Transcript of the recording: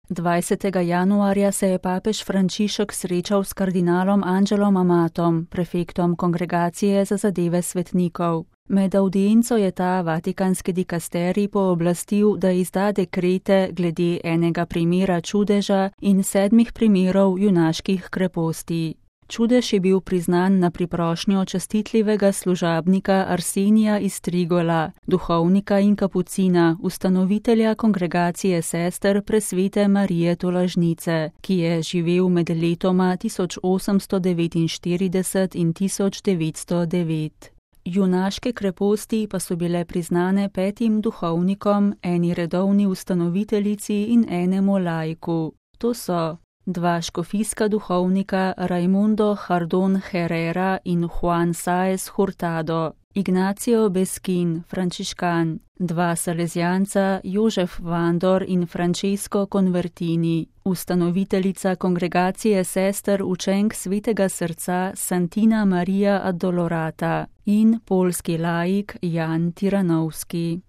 20. januarja se je papež Frančišek srečal s kardinalom Angelom Amatom, prefektom Kongregacije za zadeve svetnikov. Med avdienco je ta vatikanski dikasterij pooblastil, da izda dekrete glede enega primera čudeža in 7 primerov junaških kreposti. Čudež je bil priznan na priprošnjo častitljivega služabnika Arsenija iz Trigola, duhovnika in kapucina, ustanovitelja Kongregacije sester Presvete Marije Tolažnice, ki je živel med letoma 1849 in 1909. Junaške kreposti pa so bile priznane 5 duhovnikom, eni redovni ustanoviteljici in enemu laiku. To so 2 škofijska duhovnika Raimundo Jardón Herrera in Juan Sáez Hurtado, Ignacio Beskin, frančiškan, 2 salezijanca Jožef Vandor in Francesco Convertini, ustanoviteljica Kongregacije sester učenk Svetega srca Santina Maria Addolorata in poljski laik Jan Tiranovski.